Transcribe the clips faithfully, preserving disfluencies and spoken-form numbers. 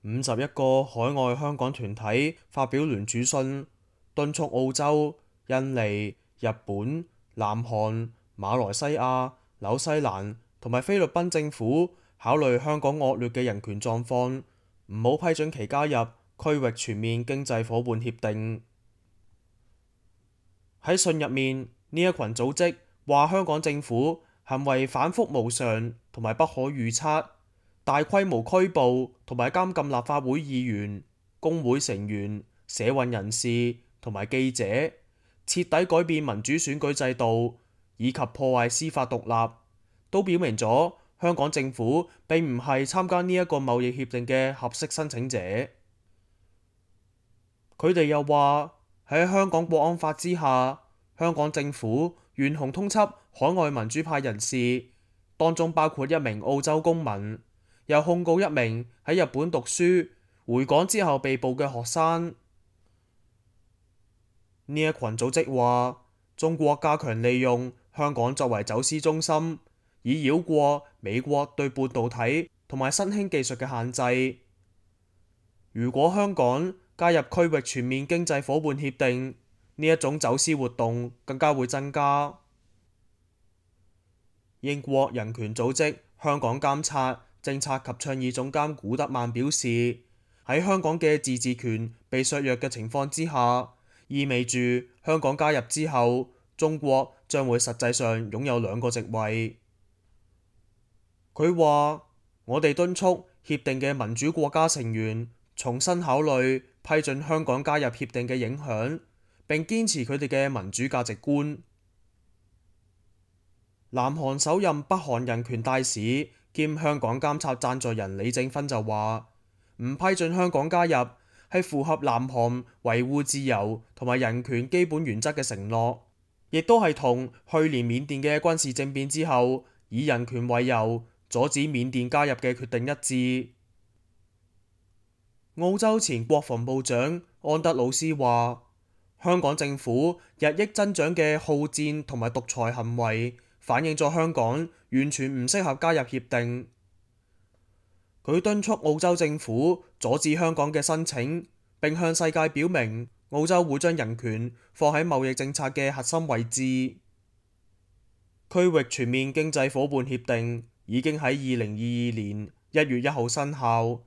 五十一個海外香港團體發表聯署信，敦促澳洲、印尼、日本、南韓、馬來西亞、紐西蘭同埋菲律賓政府考慮香港惡劣嘅人權狀況，唔好批准其加入區域全面經濟夥伴協定。喺信入面，呢一群組織話香港政府行為反覆無常同埋不可預測，大規模拘捕同埋監禁立法會議員、工會成員、社運人士同埋記者，徹底改變民主選舉制度，以及破壞司法獨立，都表明咗香港政府並唔係參加呢一個貿易協定嘅合適申請者。佢哋又話喺香港國安法之下，香港政府懸紅通緝海外民主派人士，當中包括一名澳洲公民，又控告一名喺日本讀書回港之後被捕嘅學生。呢一群組織話，中國加強利用香港作為走私中心，以繞過美國對半導體同埋新興技術嘅限制。如果香港加入區域全面經濟夥伴協定，呢一種走私活動更加會增加。英國人權組織香港監察政策及倡議總監古德曼表示，喺香港嘅自治權被削弱嘅情況之下，意味住香港加入之後，中國將會實際上擁有兩個席位。佢話：我哋敦促協定嘅民主國家成員重新考慮批准香港加入協定嘅影響，並堅持佢哋嘅民主價值觀。南韓首任北韓人權大使兼香港監察贊助人李正芬就話：唔批准香港加入係符合南韓維護自由同埋人權基本原則嘅承諾，亦都係同去年緬甸嘅軍事政變之後以人權為由阻止緬甸加入嘅決定一致。澳洲前國防部長安德魯斯話：香港政府日益增長嘅好戰同埋獨裁行為，反映咗香港完全唔適合加入協定。佢敦促澳洲政府阻止香港嘅申請，並向世界表明澳洲會將人權放喺貿易政策嘅核心位置。區域全面經濟夥伴協定已經喺二零二二年一月一號生效，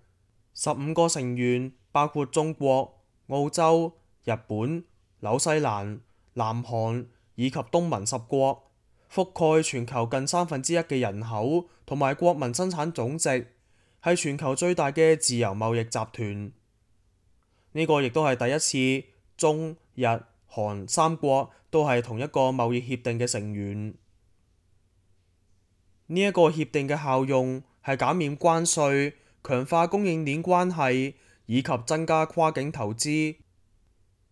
十五個成員包括中國、澳洲、日本、紐西蘭、南韓以及東盟十國，覆蓋全球近三分之一嘅人口同埋國民生產總值，係全球最大嘅自由貿易集團。呢個亦都係第一次中日韓三國都係同一個貿易協定嘅成員。呢一個協定嘅效用係減免關稅、強化供應鏈關係以及增加跨境投資。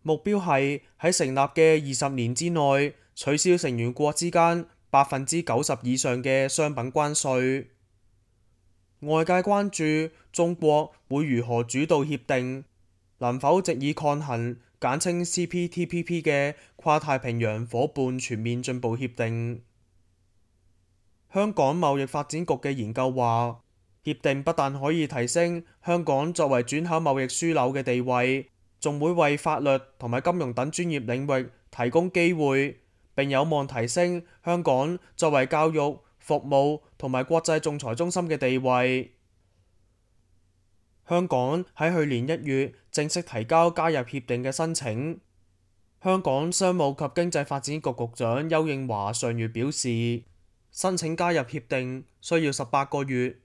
目標係喺成立嘅二十年之內取消成員國之間百分之九十以上嘅商品關稅。外界關注中國會如何主導協定，能否藉以抗衡簡稱 C P T P P 嘅跨太平洋夥伴全面進步協定。香港貿易發展局嘅研究話，協定不但可以提升香港作為轉口貿易樞紐嘅地位，仲會為法律同埋金融等專業領域提供機會，並有望提升香港作為教育、服務同埋國際仲裁中心嘅地位。香港喺去年一月正式提交加入協定嘅申請。香港商務及經濟發展局局長丘應樺上月表示，申請加入協定需要十八個月，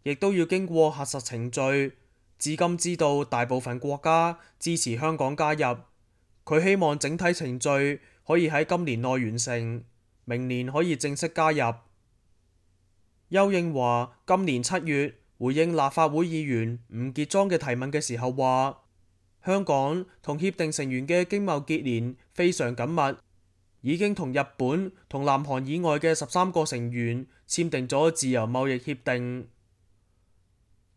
亦都要經過核實程序。至今知道大部分國家支持香港加入，佢希望整體程序可以喺今年內完成，明年可以正式加入。丘應樺今年七月回應立法會議員吳傑莊嘅提問嘅時候話，香港同協定成員嘅經貿結連非常緊密，已經同日本同南韓以外嘅十三個成員簽訂咗自由貿易協定。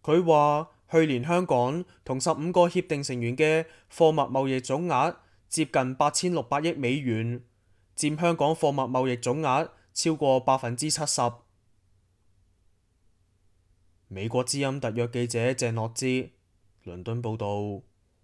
佢話去年香港同十五個協定成員嘅貨物貿易總額接近八千六百億美元，佔香港貨物貿易總額超過百分之七十。美國之音特約記者鄭樂之倫敦報導。